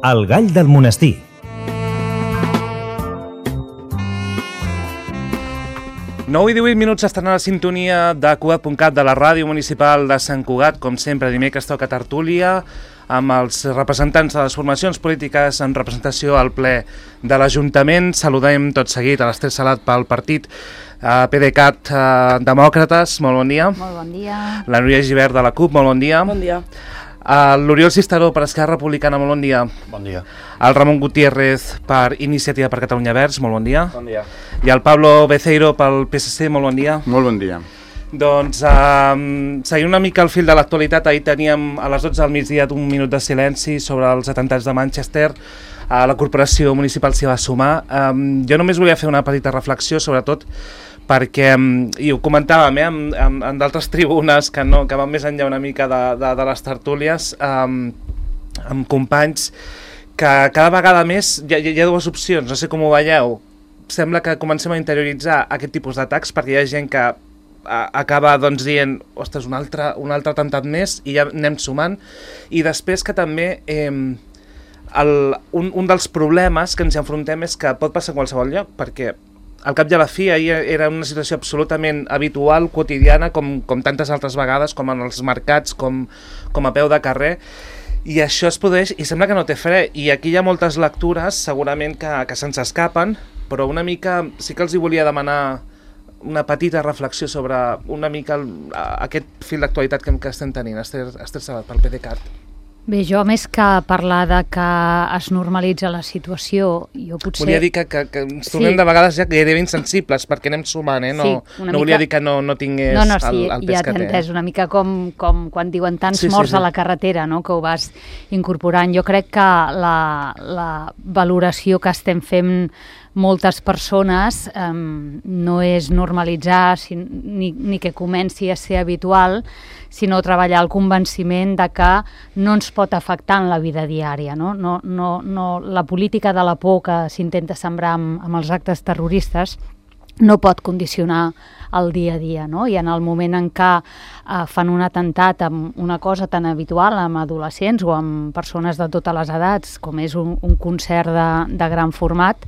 El gall del monestir. Nou i 18 minuts estan a la sintonia de Cugat.cat, de la ràdio municipal de Sant Cugat. Com sempre, dimecres toca tertúlia amb els representants de les formacions polítiques en representació al ple de l'Ajuntament. Saludem tot seguit a l'Ester Salat pel partit PDeCAT Demòcrates. Molt bon dia. Molt bon dia. La Núria Gibert de la CUP, molt bon dia. Bon dia. L'Oriol Cisteró per Esquerra Republicana, molt bon dia. Bon dia. El Ramon Gutiérrez per Iniciativa per Catalunya Verds, molt bon dia. Bon dia. I el Pablo Beceiro pel PSC, molt bon dia. Molt bon dia. Doncs, seguint una mica el fil de l'actualitat, ahir teníem a les 12 del migdia un minut de silenci sobre els atentats de Manchester. La corporació municipal s'hi va sumar. Jo només volia fer una petita reflexió, sobretot perquè, i ho comentàvem en d'altres tribunes que van més enllà una mica de les tertúlies, amb companys, que cada vegada més hi ha dues opcions, no sé com ho veieu. Sembla que comencem a interioritzar aquest tipus d'atacs perquè hi ha gent que acaba dient, ostres, un altre atemptat més, i ja anem sumant. I després que també un dels problemes que ens enfrontem és que pot passar a qualsevol lloc, perquè al cap i a la fi ahir era una situació absolutament habitual, quotidiana, com tantes altres vegades, com en els mercats, com a peu de carrer, i això es produeix i sembla que no té fre. I aquí hi ha moltes lectures segurament que se'ns escapen, però una mica sí que els hi volia demanar una petita reflexió sobre una mica aquest fil d'actualitat que estem tenint. Ester Sabat, pel PDeCAT. Bé, jo més que parlar de que es normalitza la situació, jo potser... Volia dir que ens trobem de vegades ja gairebé insensibles, perquè anem sumant, no volia dir que no tingués el pes que té. Ja t'he entès, una mica com quan diuen tants morts a la carretera, no? Que ho vas incorporant. Jo crec que la valoració que estem fent moltes persones no és normalitzar ni que comenci a ser habitual, sinó treballar el convenciment de que no ens pot afectar en la vida diària. No, la política de la por que s'intenta sembrar amb els actes terroristes no pot condicionar el dia a dia, no? I en el moment en què fan un atemptat amb una cosa tan habitual, amb adolescents o amb persones de totes les edats, com és un concert de gran format,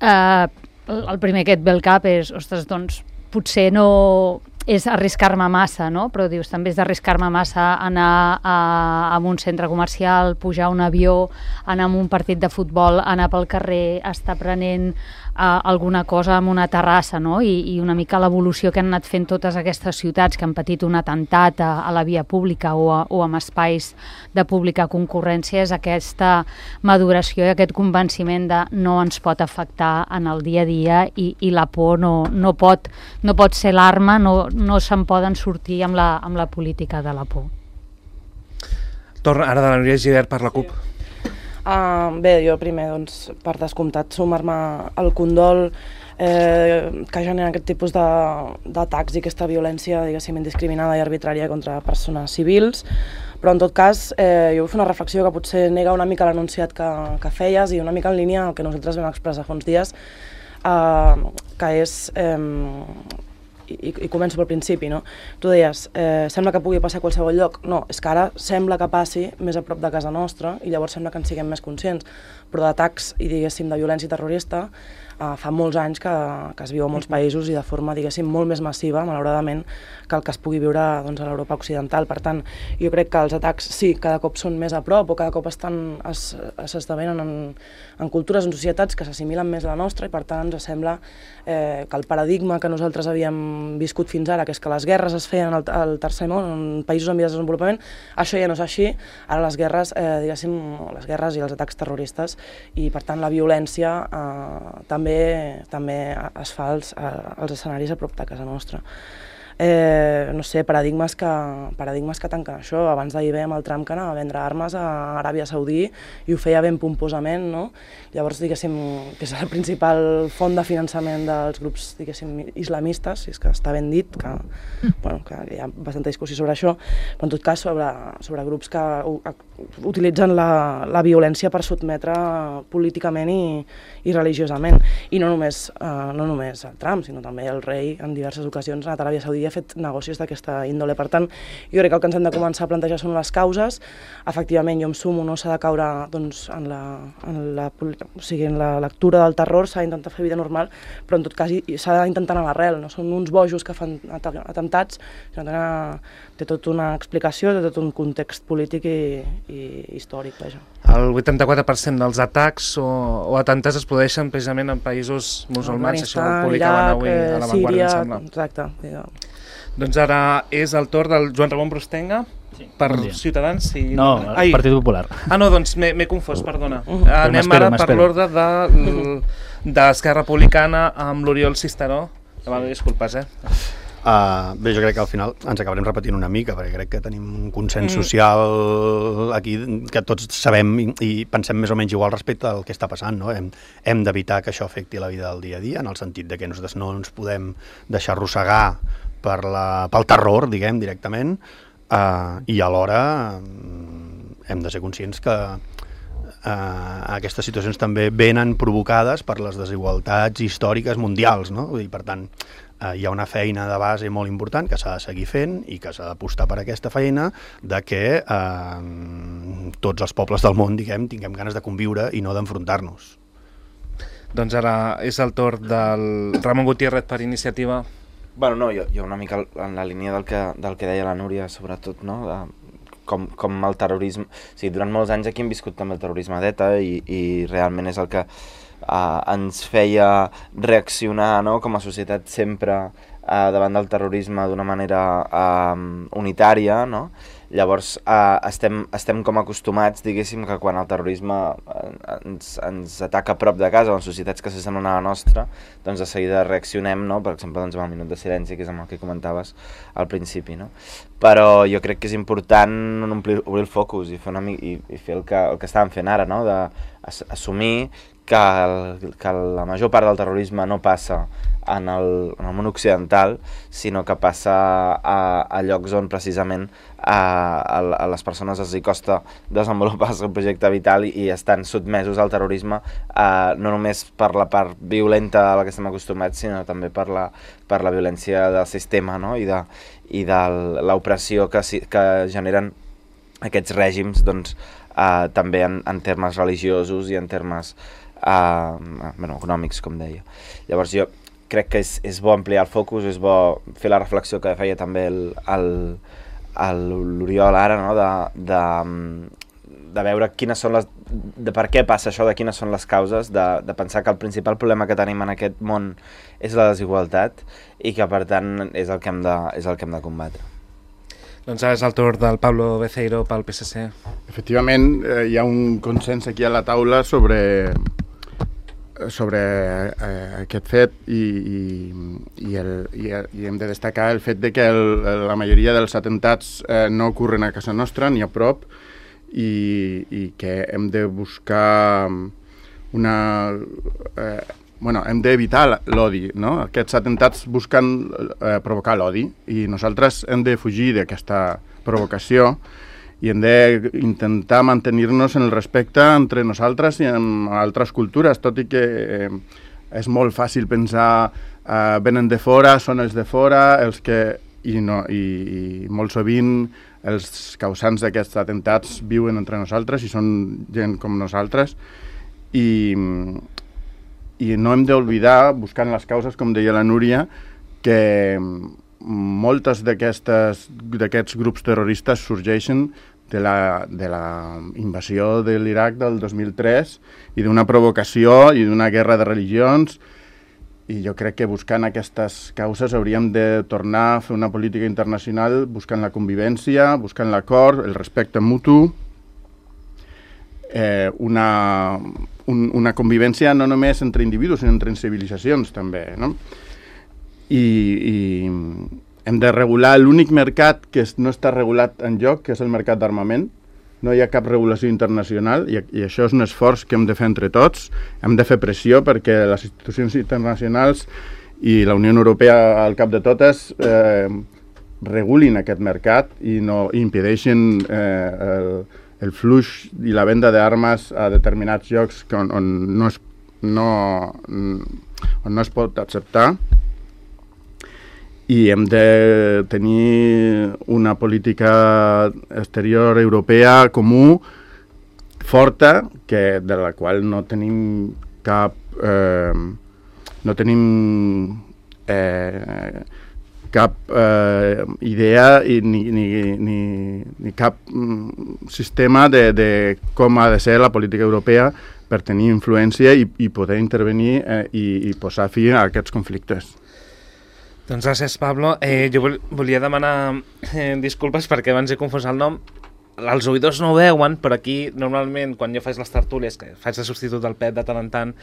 el primer que et ve al cap és, ostres, doncs potser no és arriscar-me massa, no? Però dius, també és d'arriscar-me massa anar a un centre comercial, pujar a un avió, anar a un partit de futbol, anar pel carrer, estar prenent alguna cosa en una terrassa, no? I una mica l'evolució que han anat fent totes aquestes ciutats que han patit un atemptat a la via pública o amb espais de pública concurrència és aquesta maduració i aquest convenciment de no ens pot afectar en el dia a dia i la por no pot ser l'arma, no se'n poden sortir amb la política de la por. Torna ara de la Núria Gibert per la CUP. Bé, jo primer, doncs, per descomptat, sumar-me al condol que genera aquest tipus d'atacs i aquesta violència, diguéssim, indiscriminada i arbitrària contra persones civils, però en tot cas jo vull fer una reflexió que potser nega una mica l'enunciat que feies i una mica en línia el que nosaltres vam expressar fa uns dies, que és... I començo pel principi, no? Tu deies, sembla que pugui passar a qualsevol lloc. No, és que ara sembla que passi més a prop de casa nostra i llavors sembla que en siguem més conscients. Però d'atacs i, diguéssim, de violència terrorista fa molts anys que es viu a molts països i de forma, diguéssim, molt més massiva, malauradament, que el que es pugui viure a l'Europa occidental. Per tant, jo crec que els atacs sí, cada cop són més a prop o cada cop s'esdevenen en cultures, en societats que s'assimilen més a la nostra i per tant ens sembla que el paradigma que nosaltres havíem viscut fins ara, que és que les guerres es feien al tercer món, en països en vies de desenvolupament, això ja no és així. Ara les guerres, diguéssim, les guerres i els atacs terroristes i per tant la violència també es fa als escenaris a prop de casa nostra. No sé, paradigmes que tanquen això. Abans d'ahir veiem el Trump que anava a vendre armes a Aràbia Saudí i ho feia ben pomposament, no? Llavors, diguéssim, que és el principal font de finançament dels grups, diguéssim, islamistes, si és que està ben dit, que hi ha bastanta discussió sobre això, però en tot cas sobre grups que utilitzen la violència per sotmetre políticament i religiosament. I no només el Trump, sinó també el rei en diverses ocasions ha anat a Aràbia Saudí havia fet negocis d'aquesta índole. Per tant, jo crec que el que ens hem de començar a plantejar són les causes. Efectivament, jo em sumo, no s'ha de caure doncs, en la lectura del terror, s'ha d'intentar fer vida normal, però en tot cas s'ha d'intentar anar a l'arrel, no són uns bojos que fan atemptats, sinó té tota una explicació, té tot un context polític i històric, vaja. El 84% dels atacs o atemptats es produeixen precisament en països musulmans, això ho publicaven avui a La Vanguardia, em sembla. Exacte. Doncs ara és el torn del Joan Ramon Brustenga, per Ciutadans. No, el Partit Popular. No, doncs m'he confós, perdona. Anem ara per l'ordre d'Esquerra Republicana amb l'Oriol Cisteró. Demano disculpes, Bé, jo crec que al final ens acabarem repetint una mica, perquè crec que tenim un consens social aquí que tots sabem i pensem més o menys igual respecte al que està passant, no? Hem d'evitar que això afecti la vida del dia a dia, en el sentit de que nosaltres no ens podem deixar arrossegar pel terror, diguem, directament, i alhora hem de ser conscients que aquestes situacions també venen provocades per les desigualtats històriques mundials, no? Vull dir, per tant, hi ha una feina de base molt important que s'ha de seguir fent i que s'ha d'apostar per aquesta feina de que tots els pobles del món, diguem, tinguem ganes de conviure i no d'enfrontar-nos. Doncs ara és el torn del Ramon Gutiérrez per Iniciativa. Bueno, no, jo una mica en la línia del que deia la Núria, sobretot, no?, com el terrorisme... O sigui, durant molts anys aquí hem viscut també el terrorisme d'ETA i realment és el que ens feia reaccionar, no?, com a societat sempre davant del terrorisme d'una manera unitària, no? Llavors estem com acostumats, diguéssim, que quan el terrorisme ens ataca a prop de casa o en societats que s'assemblen a la nostra, doncs de seguida reaccionem, no? Per exemple, doncs, amb el minut de silenci, que és amb el que comentaves al principi, no? Però jo crec que és important obrir el focus i fer el que estàvem fent ara, no? D'assumir que la major part del terrorisme no passa en el món occidental, sinó que passa a llocs on precisament a les persones els costa desenvolupar el seu projecte vital i estan sotmesos al terrorisme, no només per la part violenta a la que estem acostumats, sinó també per la violència del sistema, no? I de l'opressió que generen aquests règims, doncs, també en termes religiosos i en termes econòmics, com deia. Llavors jo crec que és bo ampliar el focus, és bo fer la reflexió que feia també l'Oriol ara, no? De veure quines són de per què passa això, de quines són les causes, de pensar que el principal problema que tenim en aquest món és la desigualtat i que per tant és el que hem de combatre. Doncs ara és el torn del Pablo Beceiro pel PSC. Efectivament, hi ha un consens aquí a la taula sobre aquest fet i hem de destacar el fet de que la majoria dels atemptats no ocorren a casa nostra ni a prop i que hem de buscar hem d'evitar l'odi, no? Aquests atemptats busquen provocar l'odi i nosaltres hem de fugir d'aquesta provocació i hem d'intentar mantenir-nos en el respecte entre nosaltres i amb altres cultures, tot i que és molt fàcil pensar venen de fora, són els de fora, i molt sovint els causants d'aquests atemptats viuen entre nosaltres i són gent com nosaltres i no hem d'oblidar, buscant les causes, com deia la Núria, que moltes d'aquests grups terroristes sorgeixen de la invasió de l'Iraq del 2003 i d'una provocació i d'una guerra de religions, i jo crec que buscant aquestes causes hauríem de tornar a fer una política internacional buscant la convivència, buscant l'acord, el respecte mutu, una convivència no només entre individus, sinó entre civilitzacions també, no? I hem de regular l'únic mercat que no està regulat enlloc, que és el mercat d'armament. No hi ha cap regulació internacional i això és un esforç que hem de fer entre tots. Hem de fer pressió perquè les institucions internacionals i la Unió Europea al cap de totes regulin aquest mercat i no impedeixin el flux i la venda d'armes a determinats llocs on no es pot acceptar. i hem de tenir una política exterior europea comú, forta, de la qual no tenim cap idea ni cap sistema de com ha de ser la política europea per tenir influència i poder intervenir i posar fi a aquests conflictes. Doncs gràcies, Pablo. Jo volia demanar disculpes perquè abans he confós el nom. Els oïdors no ho veuen, però aquí normalment quan jo faig les tertúlies, que faig de substitut del Pep de tant en tant,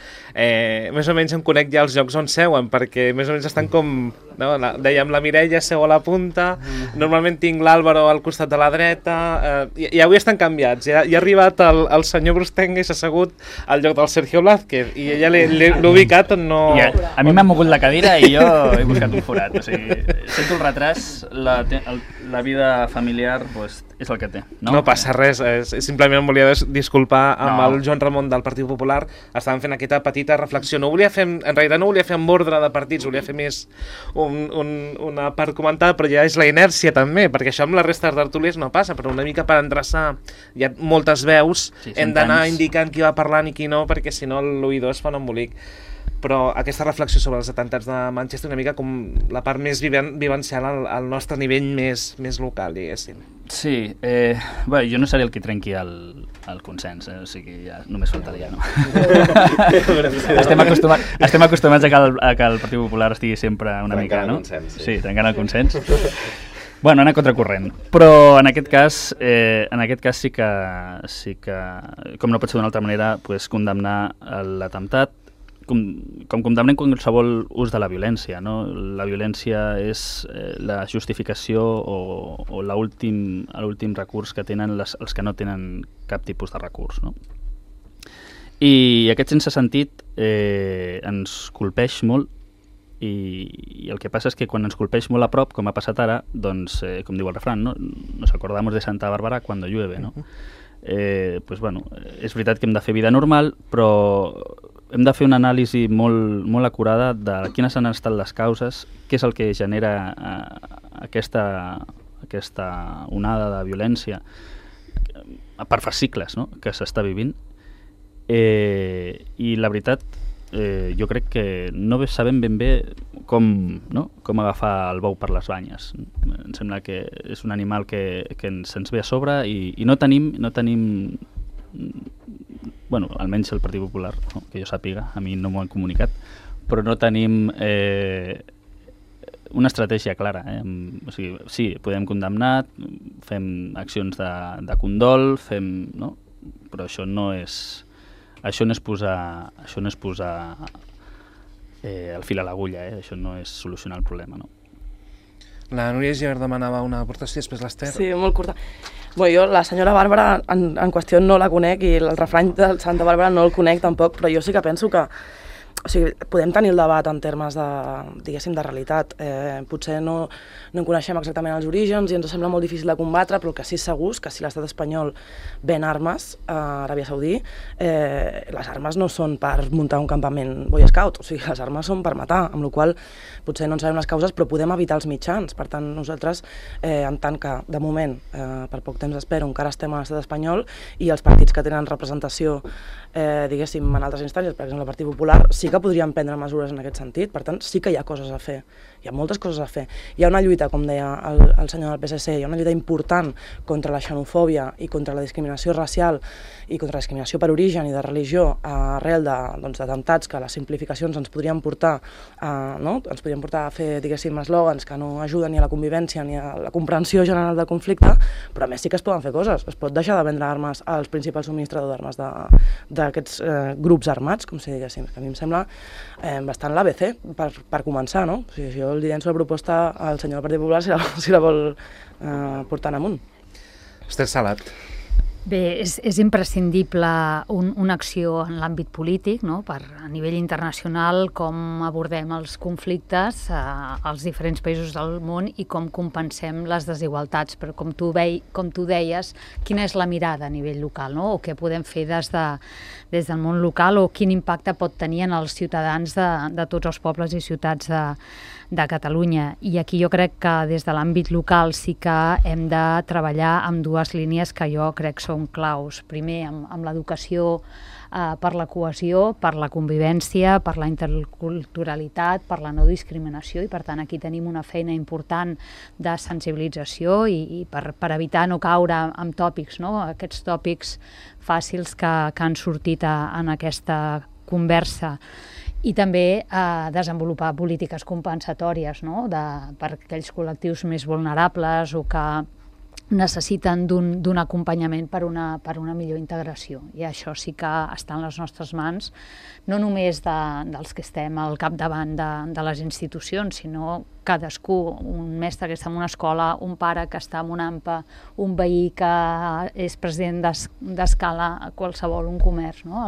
més o menys em conec ja els llocs on seuen, perquè més o menys estan com, no? Dèiem, la Mireia seu a la punta, normalment tinc l'Àlvaro al costat de la dreta, i avui estan canviats, ja ha arribat el senyor Brustenga i s'ha assegut al lloc del Sergio Blázquez, i ja l'he ubicat on no... A mi m'ha mogut la cadira i jo he buscat un forat, o sigui, sento el retras, la vida familiar pues, és el que té. No passa res, simplement em volia disculpar amb el Joan Ramon del Partit Popular. Estàvem fent aquesta petita reflexió. En realitat no volia fer amb ordre de partits, volia fer més una part comentada, però ja és la inèrcia també, perquè això amb la resta de tertúlies no passa, però una mica per endreçar, hi ha moltes veus, hem d'anar indicant qui va parlant i qui no, perquè si no l'oïdor es fa un embolic. Però aquesta reflexió sobre els atemptats de Manchester una mica com la part més vivencial al nostre nivell més local, diguéssim. Sí, bé, jo no seré el que trenqui el consens, o sigui, ja només faltaria, no? Estem acostumats a que el Partit Popular estigui sempre una mica, no? Sí, trencant el consens. Bueno, anar contracorrent, però en aquest cas sí que com no pot ser d'una altra manera, pues, condemnar l'atemptat, com condemnem qualsevol ús de la violència, no? La violència és la justificació o l'últim recurs que tenen els que no tenen cap tipus de recurs, no? I aquest sense sentit ens colpeix molt i el que passa és que quan ens colpeix molt a prop, com ha passat ara, doncs, com diu el refrán, ¿no? Nos acordamos de Santa Bárbara cuando llueve, no? Pues, bueno, és veritat que hem de fer vida normal, però hem de fer una anàlisi molt acurada de quines han estat les causes, què és el que genera aquesta onada de violència per fascicles, no? Que s'està vivint. I la veritat, jo crec que no sabem ben bé com agafar el bou per les banyes. Em sembla que és un animal que se'ns ve a sobre i no tenim bueno, almenys el Partit Popular, no, que jo sàpiga, a mi no m'ho han comunicat, però no tenim una estratègia clara. O sigui, sí, podem condemnar, fem accions de condol, no? Però això no és posar el fil a l'agulla, això no és solucionar el problema, no? La Núria Gibert demanava una aportació, després l'Ester. Sí, molt curta. Bueno, jo la senyora Bàrbara en qüestió no la conec i el refrany de Santa Bàrbara no el conec tampoc, però jo sí que penso que podem tenir el debat en termes de, diguéssim, de realitat. Potser no en coneixem exactament els orígens i ens sembla molt difícil de combatre, però el que sí és segur és que si l'estat espanyol ven armes a Aràbia Saudí, les armes no són per muntar un campament Boy Scout, o sigui, les armes són per matar, amb la qual cosa potser no en sabem les causes, però podem evitar els mitjans. Per tant, nosaltres, en tant que, de moment, per poc temps espero, encara estem a l'estat espanyol i els partits que tenen representació, diguéssim, en altres instàncies, per exemple, el Partit Popular, sí que podríem prendre mesures en aquest sentit. Per tant, sí que hi ha coses a fer. Hi ha moltes coses a fer. Hi ha una lluita, com deia el senyor del PSC, hi ha una lluita important contra la xenofòbia i contra la discriminació racial i contra la discriminació per origen i de religió arrel d'atemptats que les simplificacions ens podrien portar a fer, diguéssim, eslògans que no ajuden ni a la convivència ni a la comprensió general del conflicte, però a més sí que es poden fer coses. Es pot deixar de vendre armes als principals subministradors d'armes d'aquests grups armats, com si diguéssim, que a mi em sembla bastant l'ABC per començar, no? O sigui, jo li llenço la proposta al senyor del Partit Popular si la vol portar en amunt. Esther Salat. Bé, és imprescindible una acció en l'àmbit polític, no? A nivell internacional, com abordem els conflictes als diferents països del món i com compensem les desigualtats. Però com tu deies, quina és la mirada a nivell local, no? O què podem fer des del món local o quin impacte pot tenir en els ciutadans de tots els pobles i ciutats de Catalunya. I aquí jo crec que des de l'àmbit local sí que hem de treballar amb dues línies que jo crec són claus. Primer, amb l'educació per la cohesió, per la convivència, per la interculturalitat, per la no discriminació, i per tant aquí tenim una feina important de sensibilització i per evitar no caure en tòpics, no? Aquests tòpics fàcils que han sortit en aquesta conversa. I també desenvolupar polítiques compensatòries, no? Per aquells col·lectius més vulnerables o que necessiten d'un acompanyament per una millor integració. I això sí que està en les nostres mans, no només dels que estem al capdavant de les institucions, sinó cadascú, un mestre que està en una escola, un pare que està en una AMPA, un veí que és president d'escala a qualsevol un comerç, no?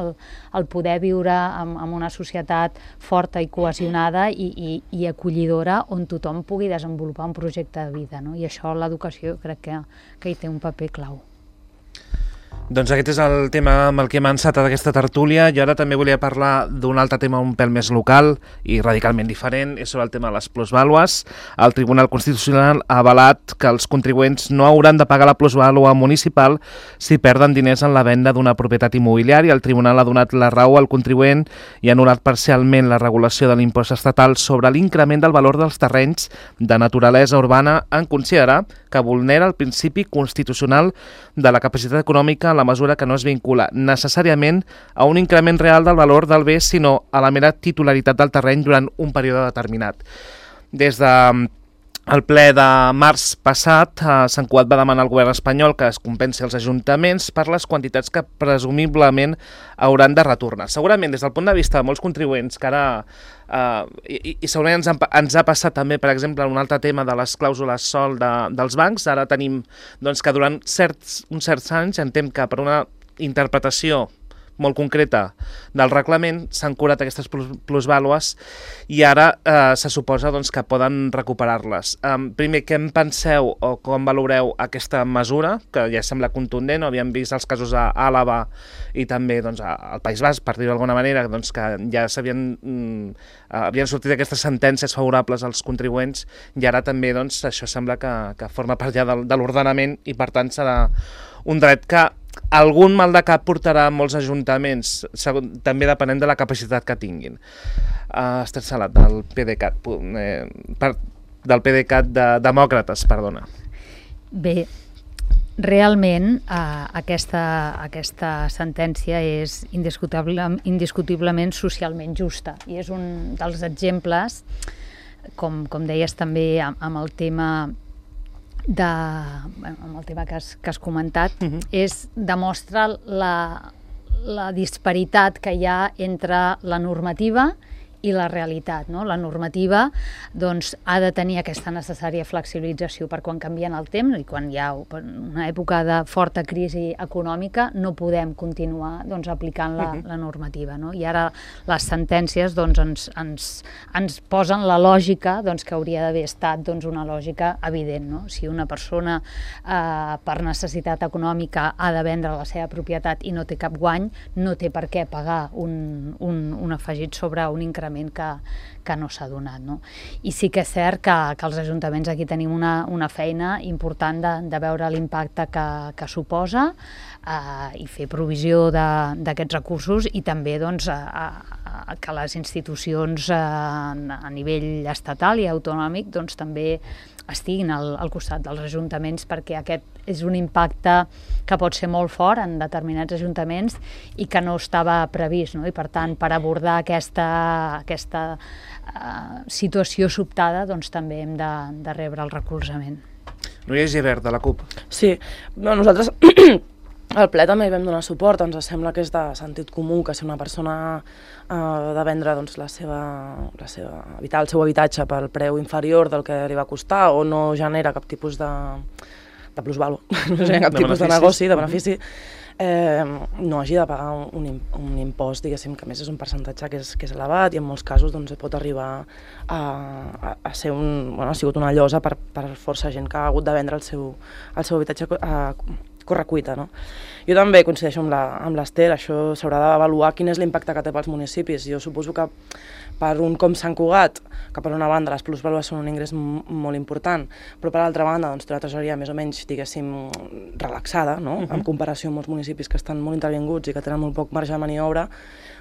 El poder viure en una societat forta i cohesionada i acollidora on tothom pugui desenvolupar un projecte de vida, no? I això l'educació crec que hi té un paper clau. Doncs aquest és el tema amb el que hem encetat aquesta tertúlia. Jo ara també volia parlar d'un altre tema un pèl més local i radicalment diferent, és sobre el tema de les plusvàlues. El Tribunal Constitucional ha avalat que els contribuents no hauran de pagar la plusvàlua municipal si perden diners en la venda d'una propietat immobiliària. El Tribunal ha donat la raó al contribuent i ha anul·lat parcialment la regulació de l'impost estatal sobre l'increment del valor dels terrenys de naturalesa urbana en considerar que vulnera el principi constitucional de la capacitat econòmica en la mesura que no es vincula necessàriament a un increment real del valor del bé, sinó a la mera titularitat del terreny durant un període determinat. Des del ple de març passat, Sant Cugat va demanar al govern espanyol que es compensi els ajuntaments per les quantitats que presumiblement hauran de retornar. Segurament, des del punt de vista de molts contribuents que ara i segurament ens ha passat també, per exemple, un altre tema de les clàusules SOL dels bancs. Ara tenim que durant uns certs anys entenc que per una interpretació molt concreta del reglament s'han curat aquestes plusvàlues i ara se suposa que poden recuperar-les. Primer, què en penseu o com valoreu aquesta mesura, que ja sembla contundent? Havíem vist els casos a Àlava i també al País Basc, per dir-ho d'alguna manera, que ja havien sortit aquestes sentències favorables als contribuents i ara també això sembla que forma part ja de l'ordenament i per tant serà un dret que algun mal de cap portarà molts ajuntaments, també depenent de la capacitat que tinguin. Esther Salat, del PDeCAT, de Demòcrates, perdona. Bé, realment aquesta sentència és indiscutiblement socialment justa i és un dels exemples, com deies també amb el tema amb el tema que has comentat, demostra la disparitat que hi ha entre la normativa i la realitat, no? La normativa ha de tenir aquesta necessària flexibilització per quan canvien el temps i quan hi ha una època de forta crisi econòmica no podem continuar aplicant la normativa, no? I ara les sentències ens posen la lògica que hauria d'haver estat una lògica evident, no? Si una persona per necessitat econòmica ha de vendre la seva propietat i no té cap guany, no té per què pagar un afegit sobre un increment que no s'ha donat, no? I sí que és cert que els ajuntaments aquí tenim una feina important de veure l'impacte que suposa i fer provisió d'aquests recursos i també que les institucions a nivell estatal i autonòmic també estiguin al costat dels ajuntaments perquè aquest és un impacte que pot ser molt fort en determinats ajuntaments i que no estava previst, no? I per tant, per abordar aquesta situació sobtada, també hem de rebre el recolzament. Núria Gibert, de la CUP. Sí, nosaltres al ple també hi vam donar suport, ens sembla que és de sentit comú que si una persona ha de vendre evitar el seu habitatge pel preu inferior del que li va costar o no genera cap tipus de plusvàlua, no genera cap tipus de negoci, de benefici, no hagi de pagar un impost, diguéssim, que a més és un percentatge que és elevat i en molts casos pot arribar a ser ha sigut una llosa per força gent que ha hagut de vendre el seu habitatge correcuita, no? Jo també coincideixo amb l'Ester, això s'haurà d'avaluar quin és l'impacte que té pels municipis. Jo suposo que per un com Sant Cugat, que per una banda les plusvàlues són un ingrés molt important, però per l'altra banda doncs, té una tresoreria més o menys, diguéssim, relaxada, no? En comparació amb molts municipis que estan molt intervinguts i que tenen molt poc marge de maniobra,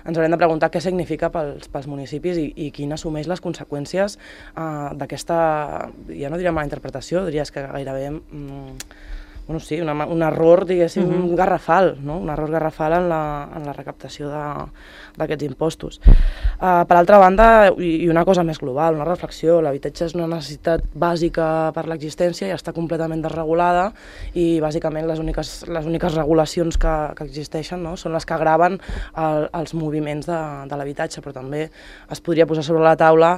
ens haurem de preguntar què significa pels municipis i quin assumeix les conseqüències d'aquesta, ja no diria mala interpretació, diries que gairebé... bueno, sí, un error, diguéssim, garrafal, no? Un error garrafal en la recaptació d'aquests impostos. Per altra banda, i una cosa més global, una reflexió, l'habitatge és una necessitat bàsica per l'existència i està completament desregulada i bàsicament les úniques regulacions que existeixen, no? Són les que graven els moviments de l'habitatge, però també es podria posar sobre la taula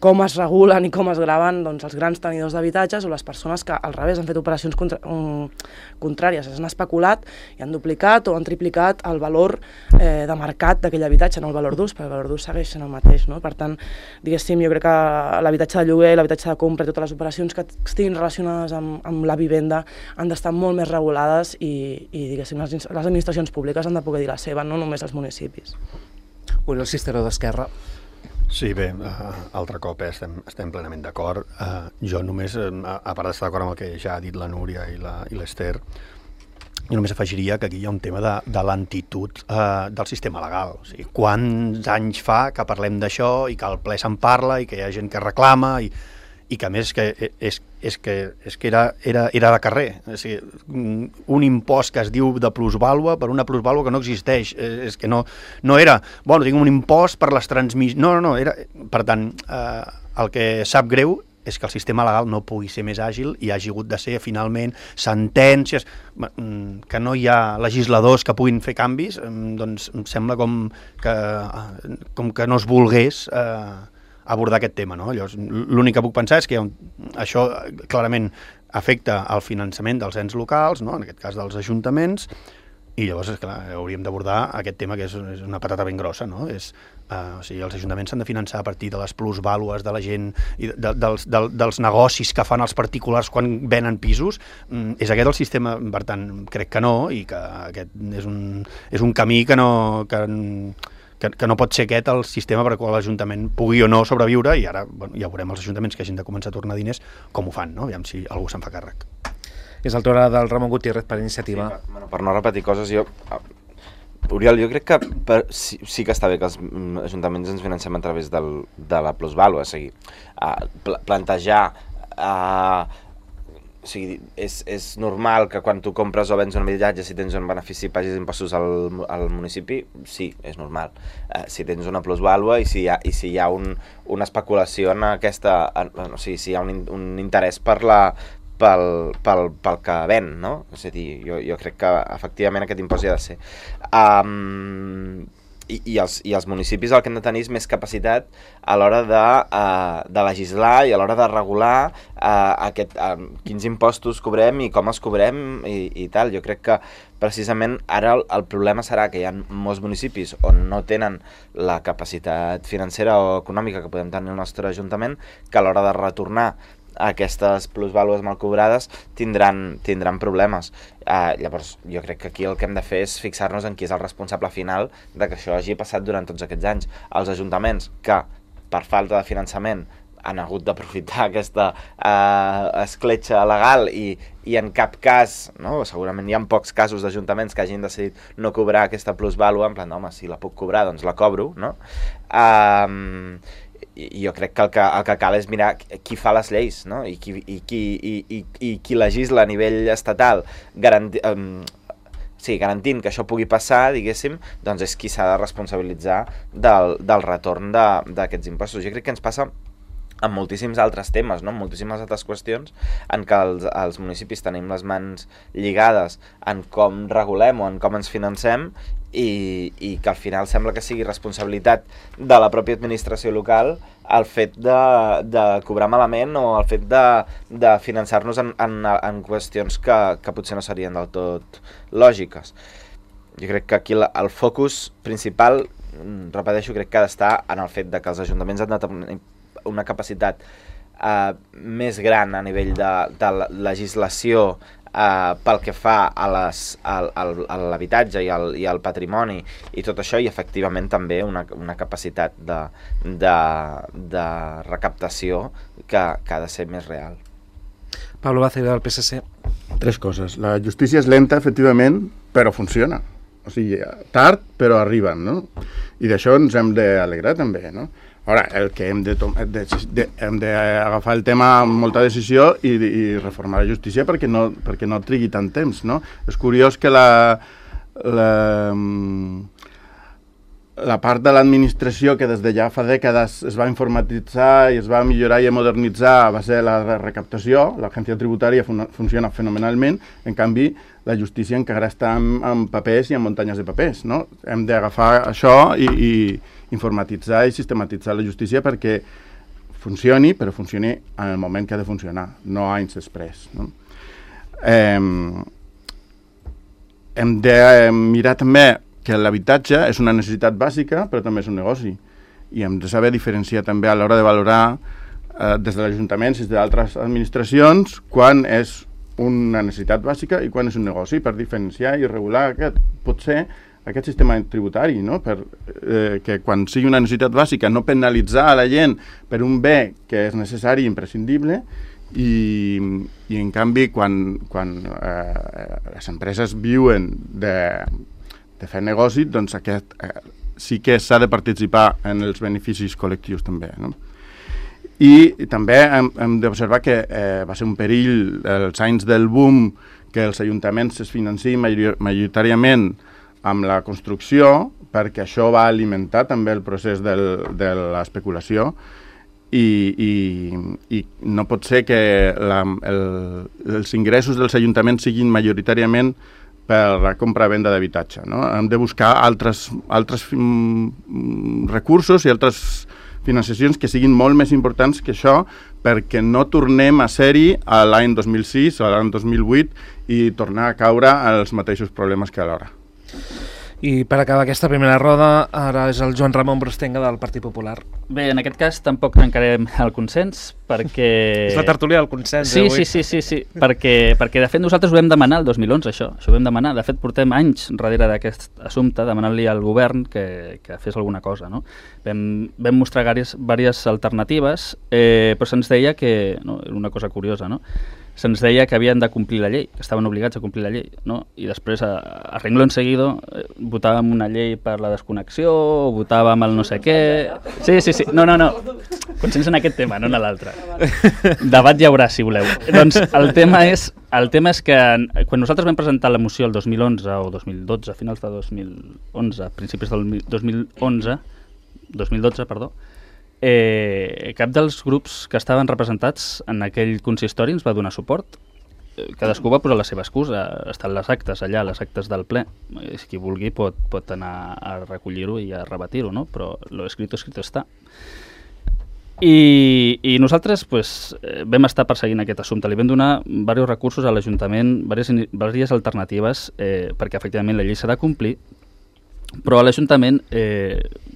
com es regulen i com es graven doncs, els grans tenidors d'habitatges o les persones que al revés han fet operacions contràries, s'han especulat i han duplicat o han triplicat el valor de mercat d'aquell habitatge, no el valor d'ús, perquè el valor d'ús segueix sent el mateix, no? Per tant, diguéssim, jo crec que l'habitatge de lloguer, l'habitatge de compra i totes les operacions que estiguin relacionades amb la vivenda han d'estar molt més regulades i diguéssim, les administracions públiques han de poder dir la seva, no només els municipis. Oriol Cisteró, d'Esquerra. Sí, bé, altre cop estem plenament d'acord. Jo només, a part d'estar d'acord amb el que ja ha dit la Núria i l'Ester, jo només afegiria que aquí hi ha un tema de lentitud del sistema legal. O sigui, quants anys fa que parlem d'això i que al ple se'n parla i que hi ha gent que reclama i que a més és que era de carrer. O sigui, un impost que es diu de plusvàlua per una plusvàlua que no existeix. És que no era, bueno, tinc un impost per les transmissions... No, era... Per tant, el que sap greu és que el sistema legal no pugui ser més àgil i hagi hagut de ser, finalment, sentències, que no hi ha legisladors que puguin fer canvis, doncs em sembla com que no es volgués abordar aquest tema, no? Llavors, l'únic que puc pensar és que això clarament afecta el finançament dels ens locals, no? En aquest cas dels ajuntaments, i llavors, clar, hauríem d'abordar aquest tema que és una patata ben grossa, no? O sigui, els ajuntaments s'han de finançar a partir de les plusvàlues de la gent i dels negocis que fan els particulars quan venen pisos. És aquest el sistema? Per tant, crec que no, i que aquest és un camí que no pot ser aquest el sistema per qual l'Ajuntament pugui o no sobreviure, i ara ja veurem els ajuntaments que hagin de començar a tornar diners com ho fan, no? Aviam si algú se'n fa càrrec. És el torn del Ramon Gutiérrez per Iniciativa. Sí, per no repetir coses, Oriol, jo crec que sí que està bé que els ajuntaments ens financem a través de la plusvàlua, o sigui, plantejar... O sigui, és normal que quan tu compres o vens un habitatge, si tens un benefici pagis impostos al municipi, sí, és normal. Si tens una plusvàlua i si hi ha una especulació en aquesta... O sigui, si hi ha un interès pel que ven, no? És a dir, jo crec que efectivament aquest impost hi ha de ser. I els municipis el que han de tenir és més capacitat a l'hora de legislar i a l'hora de regular quins impostos cobrem i com els cobrem i tal. Jo crec que precisament ara el problema serà que hi ha molts municipis on no tenen la capacitat financera o econòmica que podem tenir el nostre ajuntament, que a l'hora de retornar aquestes plusvàlues mal cobrades tindran problemes. Llavors, jo crec que aquí el que hem de fer és fixar-nos en qui és el responsable final de que això hagi passat durant tots aquests anys. Els ajuntaments que, per falta de finançament, han hagut d'aprofitar aquesta escletxa legal i en cap cas, no? Segurament hi ha pocs casos d'ajuntaments que hagin decidit no cobrar aquesta plusvàlua, en plan, home, si la puc cobrar, doncs la cobro, no? I jo crec que el que cal és mirar qui fa les lleis, no? I qui legisla a nivell estatal garantint que això pugui passar, diguéssim, doncs és qui s'ha de responsabilitzar del retorn d'aquests impostos. Jo crec que ens passa en moltíssims altres temes, no? En moltíssimes altres qüestions en què els municipis tenim les mans lligades en com regulem o en com ens financem i que al final sembla que sigui responsabilitat de la pròpia administració local el fet de cobrar malament o el fet de finançar-nos en qüestions que potser no serien del tot lògiques. Jo crec que aquí el focus principal, repeteixo, crec que ha d'estar en el fet de que els ajuntaments han de tenir una capacitat més gran a nivell de legislació pel que fa a l'habitatge i al patrimoni i tot això, i efectivament també una capacitat de recaptació que ha de ser més real. Pablo Bácega, del PSC. 3 coses. La justícia és lenta, efectivament, però funciona. O sigui, tard, però arriben, no? I d'això ens hem d'alegrar també, no? Ara, el que hem d'agafar el tema amb molta decisió i reformar la justícia perquè no trigui tant temps, no? És curiós que la part de l'administració que des de ja fa dècades es va informatitzar i es va millorar i modernitzar va ser la recaptació. L'agència tributària funciona fenomenalment, en canvi la justícia encara està amb papers i amb muntanyes de papers, no? Hem d'agafar això i informatitzar i sistematitzar la justícia perquè funcioni, però funcioni en el moment que ha de funcionar, no anys després, no? Hem de mirar també que l'habitatge és una necessitat bàsica, però també és un negoci. I hem de saber diferenciar també a l'hora de valorar des de l'Ajuntament i d'altres administracions quan és una necessitat bàsica i quan és un negoci, per diferenciar i regular aquest sistema tributari, no? Que quan sigui una necessitat bàsica no penalitzar a la gent per un bé que és necessari i imprescindible i en canvi quan les empreses viuen de fer negoci, doncs aquest sí que s'ha de participar en els beneficis col·lectius també, no? I també hem d'observar que va ser un perill els anys del boom que els ajuntaments es financin majoritàriament amb la construcció, perquè això va alimentar també el procés de l'especulació i no pot ser que els ingressos dels ajuntaments siguin majoritàriament per la compra-venda d'habitatge, no? Hem de buscar altres recursos i altres financiacions que siguin molt més importants que això perquè no tornem a ser-hi a l'any 2006 o a l'any 2008 i tornar a caure als mateixos problemes que alhora. I per acabar aquesta primera roda, ara és el Joan Ramon Brostenga del Partit Popular. Bé, en aquest cas tampoc trencarem el consens, perquè... És la tertúlia del consens, sí, avui. Sí, perquè de fet nosaltres ho vam demanar el 2011, això ho vam demanar. De fet, portem anys darrere d'aquest assumpte demanant-li al govern que fes alguna cosa, no? Vam mostrar diverses alternatives, però se'ns deia que... No, era una cosa curiosa, no? Se'ns deia que havien de complir la llei, que estaven obligats a complir la llei, no? I després, a renglón seguido, votàvem una llei per la desconnexió, o votàvem el no sé què... Sí. No. Consens en aquest tema, no en l'altre. Debat hi haurà, si voleu. Doncs el tema és que quan nosaltres vam presentar la moció el 2011 o 2012, a finals de 2011, principis del 2012, cap dels grups que estaven representats en aquell consistori ens va donar suport. Cadascú va posar la seva excusa. Estan les actes allà, les actes del ple. Si qui vulgui pot anar a recollir-ho i a rebatir-ho, no? Però lo escrito està. I nosaltres vam estar perseguint aquest assumpte. Li vam donar diversos recursos a l'Ajuntament, diverses alternatives, perquè efectivament la llei s'ha de complir, però a l'Ajuntament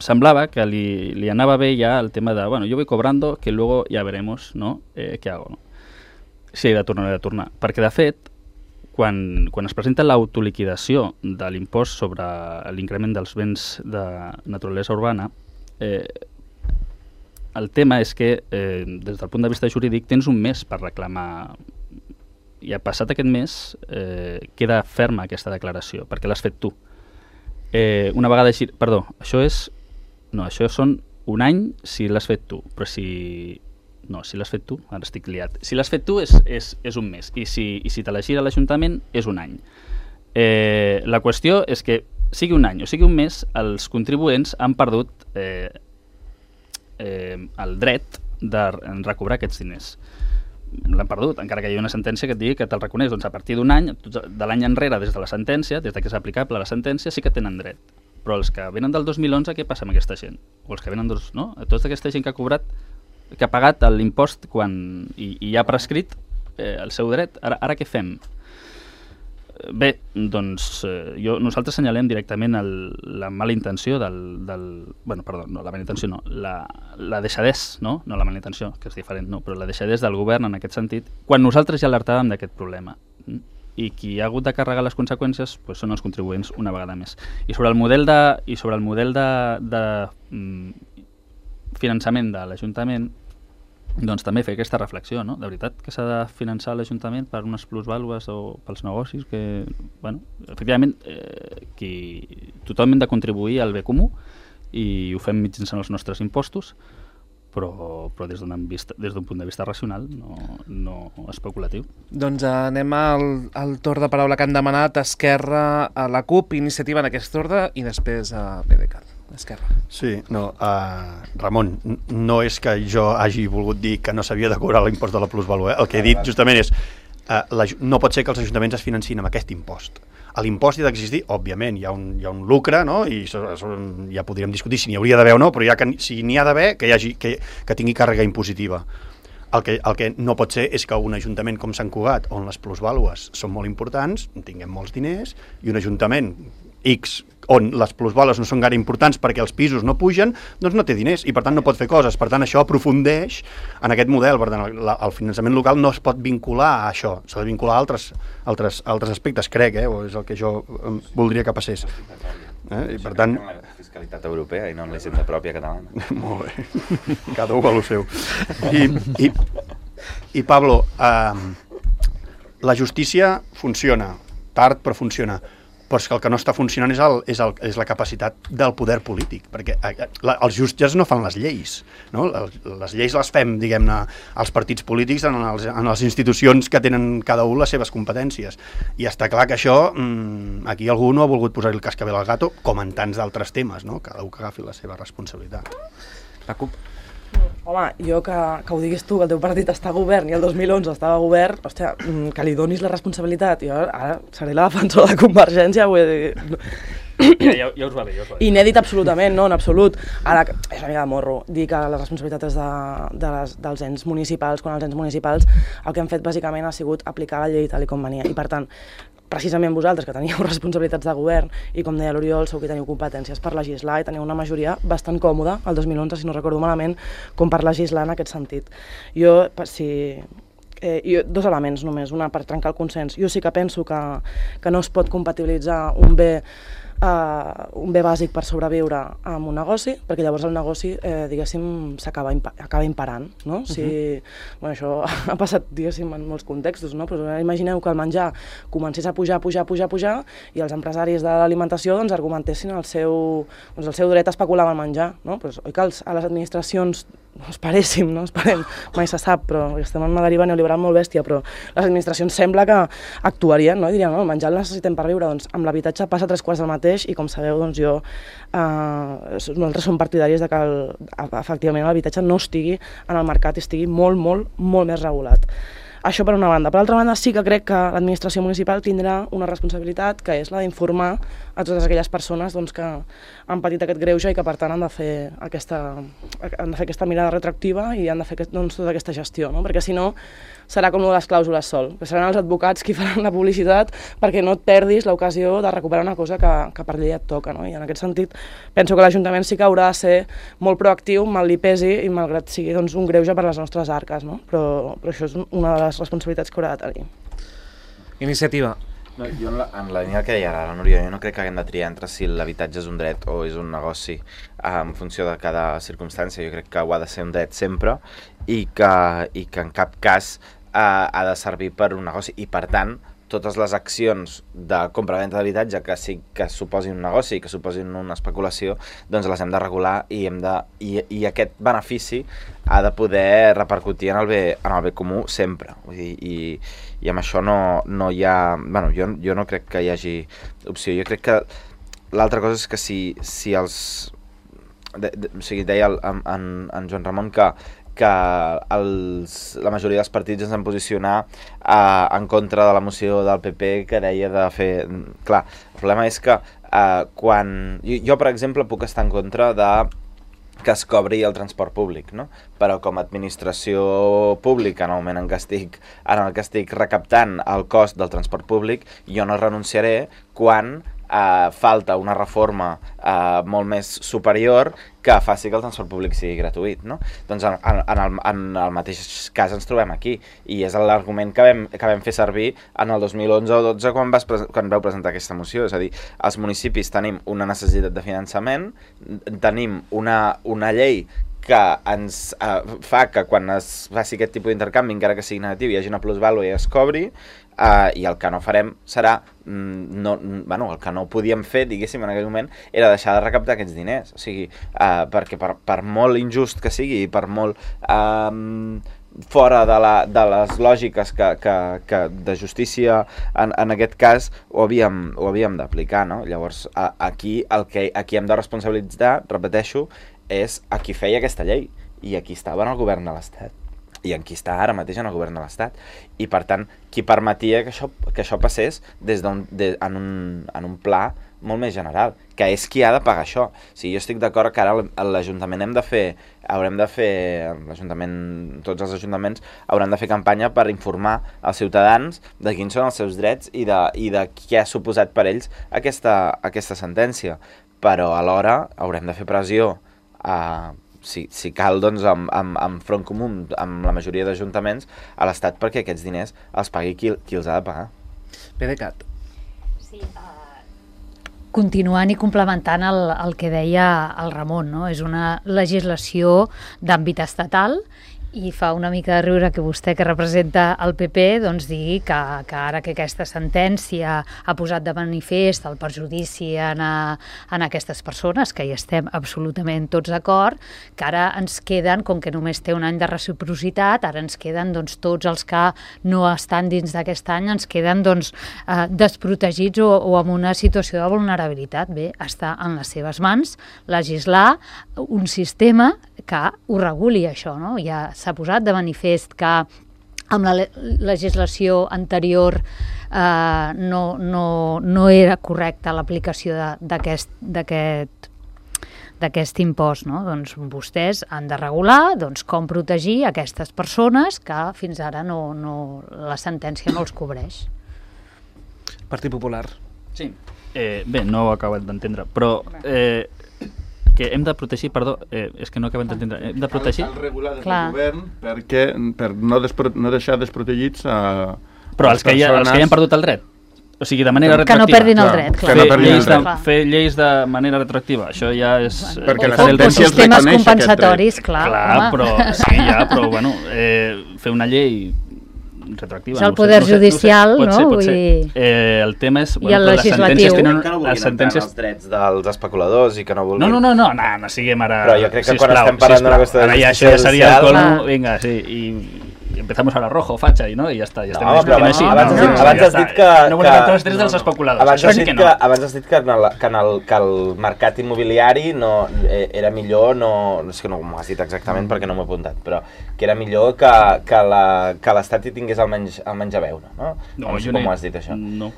semblava que li anava bé ja el tema de, bueno, yo voy cobrando, que luego ya veremos, ¿no? ¿Qué hago, no? Si he de tornar. Perquè, de fet, quan es presenta l'autoliquidació de l'impost sobre l'increment dels béns de naturalesa urbana, el tema és que, des del punt de vista jurídic, tens un mes per reclamar. I ha passat aquest mes, queda ferma aquesta declaració, perquè l'has fet tu. Una vegada així... Perdó, això són un any si l'has fet tu, però si l'has fet tu, ara estic liat. Si l'has fet tu és un mes, i si te la gira l'Ajuntament és un any. La qüestió és que sigui un any o sigui un mes, els contribuents han perdut el dret de recobrar aquests diners. L'han perdut, encara que hi ha una sentència que et digui que te'l reconeix. Doncs a partir d'un any, de l'any enrere, des de la sentència, des que és aplicable la sentència, sí que tenen dret. Però els que venen del 2011, què passa amb aquesta gent? O els que venen no? Tota aquesta gent que ha pagat l'impost i ha prescrit el seu dret, ara què fem? Bé, doncs nosaltres senyalem directament la mala intenció la mala intenció no, la deixadès, no la mala intenció, que és diferent, no, però la deixadès del govern en aquest sentit, quan nosaltres ja alertàvem d'aquest problema. i qui ha hagut de carregar les conseqüències són els contribuents una vegada més. I sobre el model de finançament de l'Ajuntament, doncs també fer aquesta reflexió, no? De veritat que s'ha de finançar l'Ajuntament per unes plusvàlues o pels negocis que, bueno, efectivament, tothom hem de contribuir al bé comú i ho fem mitjançant els nostres impostos, però des d'un punt de vista racional, no especulatiu. Doncs anem al torn de paraula que han demanat Esquerra, a la CUP, Iniciativa en aquest ordre i després a PDeCAT. Esquerra. Sí, no, Ramon, no és que jo hagi volgut dir que no s'havia de cobrar l'impost de la plusvàlua, el que he dit justament és no pot ser que els ajuntaments es financin amb aquest impost. L'impost ha d'existir, òbviament, hi ha un lucre, no? I ja podríem discutir si n'hi hauria d'haver o no, però si n'hi ha d'haver, que tingui càrrega impositiva. El que no pot ser és que un ajuntament com Sant Cugat, on les plusvàlues són molt importants, tinguem molts diners, i un ajuntament X, on les plusvàlues no són gaire importants perquè els pisos no pugen, doncs no té diners i per tant no pot fer coses. Per tant, això aprofundeix en aquest model. Per tant, el finançament local no es pot vincular a això, s'ha de vincular a altres aspectes, crec, o és el que jo voldria que passés. I per tant... la fiscalitat europea i no en la hisenda pròpia catalana. Molt bé, cada un vol el seu. I Pablo, la justícia funciona, tard però funciona, però és que el que no està funcionant és la capacitat del poder polític, perquè els jutges no fan les lleis, no? Les lleis les fem, diguem-ne, als partits polítics en les institucions que tenen cada un les seves competències, i està clar que això, aquí algú no ha volgut posar-hi el cascabel al gato, com en tants d'altres temes, no? Cada un que agafi la seva responsabilitat. La CUP. Home, jo que ho diguis tu, que el teu partit està a govern i el 2011 estava a govern, hòstia, que li donis la responsabilitat. Jo ara seré la defensora de Convergència, vull dir... Ja us va bé, Inèdit absolutament, no, en absolut. Ara, és una mica de morro dir que la responsabilitat és dels ens municipals, quan els ens municipals el que han fet bàsicament ha sigut aplicar la llei tal com venia. I per tant, precisament vosaltres, que teníeu responsabilitats de govern i, com deia l'Oriol, sou que teniu competències per legislar i teniu una majoria bastant còmoda, el 2011, si no recordo malament, com per legislar en aquest sentit. Jo, dos elements només, una per trencar el consens. Jo sí que penso que no es pot compatibilitzar un bé bàsic per sobreviure amb un negoci, perquè llavors el negoci, diguéssim, acaba imparant, no? Bueno, això ha passat, diguéssim, en molts contextos, no? Però imagineu que el menjar comencés a pujar i els empresaris de l'alimentació doncs argumentessin el seu dret a especular amb el menjar, no? Però oi que a les administracions esperem, mai se sap, però estem en una deriva neoliberal molt bèstia, però les administracions sembla que actuarien, no? I dirien, no, el menjar el necessitem per viure, doncs amb l'habitatge passa 3/4 del mateix, i com sabeu, doncs nosaltres som partidaris de que efectivament l'habitatge no estigui en el mercat i estigui molt, molt, molt més regulat. Això per una banda. Per altra banda, sí que crec que l'administració municipal tindrà una responsabilitat, que és la d'informar a totes aquelles persones que han patit aquest greuge i que per tant han de fer aquesta mirada retroactiva i han de fer tota aquesta gestió, no? Perquè si no serà com les clàusules sol, que seran els advocats qui faran la publicitat perquè no et perdis l'ocasió de recuperar una cosa que per llei et toca, no? I en aquest sentit penso que l'Ajuntament sí que haurà de ser molt proactiu, mal li pesi i malgrat sigui un greuge per a les nostres arques, no? Però això és una de les responsabilitats que haurà de tenir. Iniciativa. No, jo en la línia que deia ara la Núria, jo no crec que haguem de triar entre si l'habitatge és un dret o és un negoci en funció de cada circumstància. Jo crec que ho ha de ser un dret sempre i que en cap cas ha de servir per un negoci i per tant totes les accions de compra-venda d'habitatge que suposin un negoci i que suposin una especulació, doncs les hem de regular i aquest benefici ha de poder repercutir en el bé comú sempre. Vull dir, i amb això no hi ha... Bueno, jo no crec que hi hagi opció. Jo crec que l'altra cosa és que si els... O sigui, deia en Joan Ramon que la majoria dels partits ens han posicionar en contra de la moció del PP que deia de fer... Clar, el problema és que quan... Jo, per exemple, puc estar en contra de que es cobri el transport públic, no? Però com a administració pública, en el moment en què estic recaptant el cost del transport públic, jo no renunciaré quan falta una reforma molt més superior que faci que el transport públic sigui gratuït, no? Doncs en el mateix cas ens trobem aquí, i és l'argument que vam fer servir en el 2011 o 12 quan vau presentar aquesta moció, és a dir, els municipis tenim una necessitat de finançament, tenim una llei que ens fa que quan es faci aquest tipus d'intercanvi, encara que sigui negatiu, hi hagi una plusvàlua i es cobri, i el que no farem serà, el que no podíem fer, diguéssim, en aquell moment, era deixar de recaptar aquests diners. O sigui, perquè per molt injust que sigui i per molt fora de les lògiques que de justícia en aquest cas ho havíem d'aplicar, no? Llavors, aquí hem de responsabilitzar, repeteixo, és a qui feia aquesta llei i a qui estava en el govern de l'Estat i en qui està ara mateix en el govern de l'Estat, i per tant qui permetia que això passés en un pla molt més general, que és qui ha de pagar això. O sigui, jo estic d'acord que ara l'Ajuntament tots els ajuntaments hauran de fer campanya per informar als ciutadans de quins són els seus drets i de què ha suposat per ells aquesta sentència, però alhora haurem de fer pressió si cal, doncs, amb front comú, amb la majoria d'ajuntaments a l'Estat, perquè aquests diners els pagui qui els ha de pagar. PDeCAT. Sí, continuant i complementant el que deia el Ramon, no? És una legislació d'àmbit estatal i fa una mica de riure que vostè, que representa el PP, doncs digui que ara que aquesta sentència ha posat de manifest el perjudici en aquestes persones, que hi estem absolutament tots d'acord, que ara ens queden, com que només té un any de reciprocitat, ara ens queden doncs, tots els que no estan dins d'aquest any, ens queden doncs, desprotegits o en una situació de vulnerabilitat. Bé, està en les seves mans legislar un sistema que ho reguli, això, no? Ja s'ha posat de manifest que amb la legislació anterior no era correcta l'aplicació d'aquest impost, no? Doncs vostès han de regular com protegir aquestes persones que fins ara la sentència no els cobreix. Partit Popular. Sí. Bé, no ho he acabat d'entendre, però que hem de protegir, és que no acabem d'entendre, hem de protegir... Cal regular des del govern per no deixar desprotegits a... Però els que ja han perdut el dret, o sigui, de manera retroactiva. Que no perdin el dret, clar. Fer lleis de manera retroactiva, això ja és... Perquè la sentència els reconeix compensatoris, clar, però bueno, fer una llei retroactiva. És el poder judicial, no? Pot ser. El tema és... I el legislatiu. Que no vulguin entrar en els drets dels especuladors i que no vulguin... No siguem ara... Però jo crec que quan estem parlant d'una qüestió de justícia social... Ara ja seria el colmo, vinga, sí, i empezamos ahora rojo, facha, i ja està. Abans has dit que... No volem entrar els drets dels especuladors. Abans has dit que el mercat immobiliari era millor, és que no m'ho has dit exactament perquè no m'ho he apuntat, però que era millor que l'Estat hi tingués almenys a veure, no? No sé com ho has dit, això. No.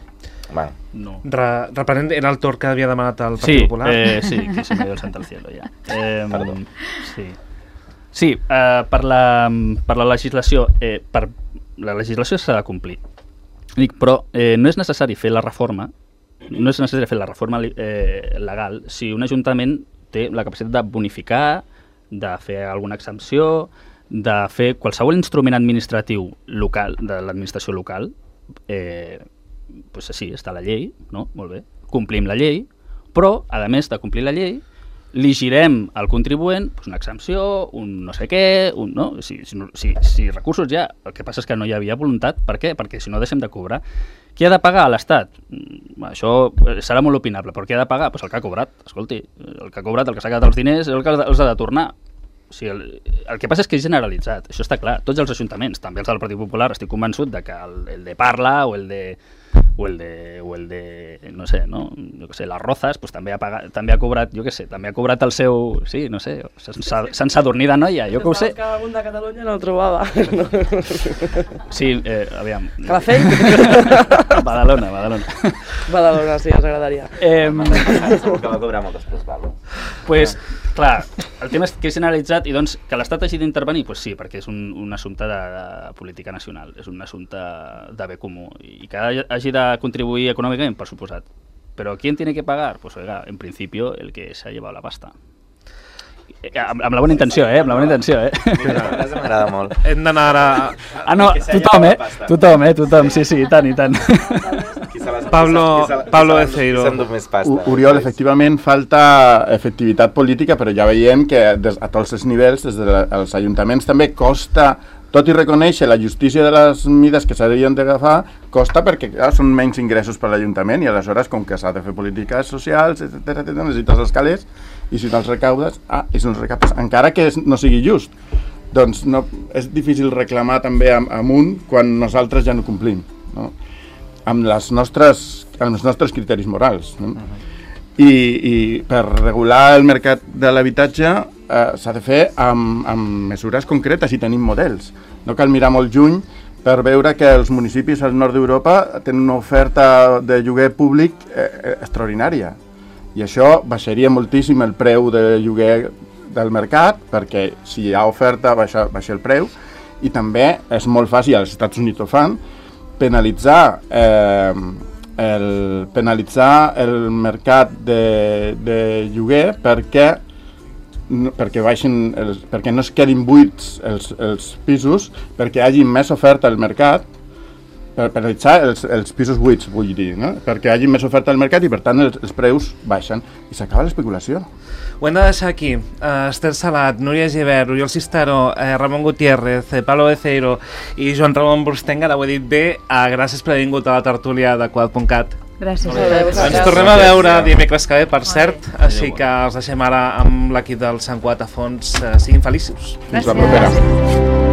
No. Reprenent, era el torn que havia demanat el Partit Popular? Sí, que se me dio el santo al cielo, ja. Perdó. Sí, per la legislació, la legislació s'ha de complir. Dic, però no és necessari fer la reforma, legal si un ajuntament té la capacitat de bonificar, de fer alguna exempció, de fer qualsevol instrument administratiu local, de l'administració local. Doncs sí, està la llei, no? Molt bé, complim la llei, però, a més de complir la llei, li girem al contribuent una exempció, un no sé què, no? Si recursos ja, el que passa és que no hi havia voluntat. Per què? Perquè si no deixem de cobrar. Qui ha de pagar? L'Estat? Això serà molt opinable, però qui ha de pagar? Pues el que ha cobrat. Escolti, el que ha cobrat, el que s'ha quedat els diners, és el que els ha de tornar. O sigui, el que passa és que és generalitzat, això està clar. Tots els ajuntaments, també els del Partit Popular, estic convençut de que el de Parla o el de no sé, no? Jo què sé, les Rozas, pues, també ha cobrat, jo què sé, també ha cobrat el seu... Sí, no sé, se'n s'adornir de noia, jo que ho sé. Que algun de Catalunya no el trobava. Sí, aviam. Calafell? Badalona. Badalona, sí, ens agradaria. Segur que va cobrar moltes plusvàlues. Pues, clar, el tema és que és generalitzat i doncs que l'Estat hagi d'intervenir, pues sí, perquè és un assumpte de política nacional, és un assumpte de bé comú i que hagi de contribuir econòmicament, per suposat. Pero ¿quién tiene que pagar? Pues oiga, en principio el que se ha llevado la pasta. Amb la bona intenció, amb la bona intenció, M'agrada molt. Hem d'anar ara... Ah, no, tothom, sí, i tant. Pablo Eceiro. Oriol, efectivament falta efectivitat política, però ja veiem que a tots els nivells, des dels ajuntaments també costa, tot i reconèixer la justícia de les mides que s'haurien d'agafar, costa perquè són menys ingressos per l'Ajuntament i aleshores, com que s'ha de fer polítiques socials, etc., necessites els calés i si no els recaudes, i si no els recaptes, encara que no sigui just. Doncs no, és difícil reclamar també amunt quan nosaltres ja no complim, no? Amb els nostres criteris morals. No? I per regular el mercat de l'habitatge s'ha de fer amb mesures concretes i tenim models. No cal mirar molt lluny per veure que els municipis al nord d'Europa tenen una oferta de lloguer públic extraordinària. I això baixaria moltíssim el preu de lloguer del mercat, perquè si hi ha oferta baixa el preu, i també és molt fàcil, als Estats Units ho fan, penalitzar el mercat de lloguer perquè no es quedin buits els pisos, perquè hi hagi més oferta al mercat, per penalitzar els pisos buits, vull dir, no? Perquè hi hagi més oferta al mercat i per tant els preus baixen i s'acaba l'especulació. Ho hem de deixar aquí. Esther Salat, Núria Gibert, Oriol Cisteró, Ramon Gutiérrez, Pablo Eceiro i Joan Ramon Burstenga, ara ho he dit bé. Gràcies per haver vingut a la tertúlia de Quad.cat. Gràcies. Ens tornem a veure dimecres que ve, per cert, així que els deixem ara amb l'equip del Sant Quad a fons. Siguin feliços. Fins la propera.